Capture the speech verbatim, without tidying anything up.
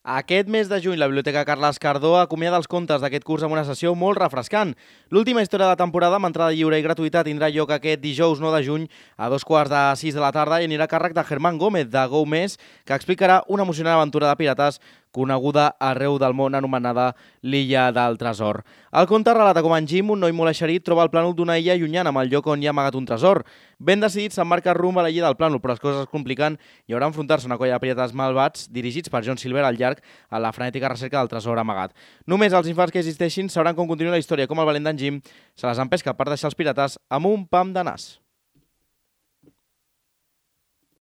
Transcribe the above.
Aquest mes de juny, la Biblioteca Carles Cardó acomiada els contes d'aquest curs amb una sessió molt refrescant. L'última història de la temporada, amb entrada lliure i gratuïta, tindrà lloc aquest dijous nou de juny a dos quarts de sis de la tarda i anirà a càrrec de Germán Gómez, de Go Més, que explicarà una emocionant aventura de pirates coneguda arreu del món anomenada l'Illa del Tresor. El conte relata com en Jim, un noi molt eixerit, troba el plànol d'una illa llunyana amb el lloc on hi ha amagat un tresor. Ben decidit, s'embarca rumb a la illa del plànol, però les coses es compliquen i haurà d'enfrontar-se a una colla de pirates malvats dirigits per John Silver al llarg a la frenètica recerca del tresor amagat. Només els infants que existeixin sabran com continua la història, com el valent d'en Jim se les empesca per deixar els pirates amb un pam de nas.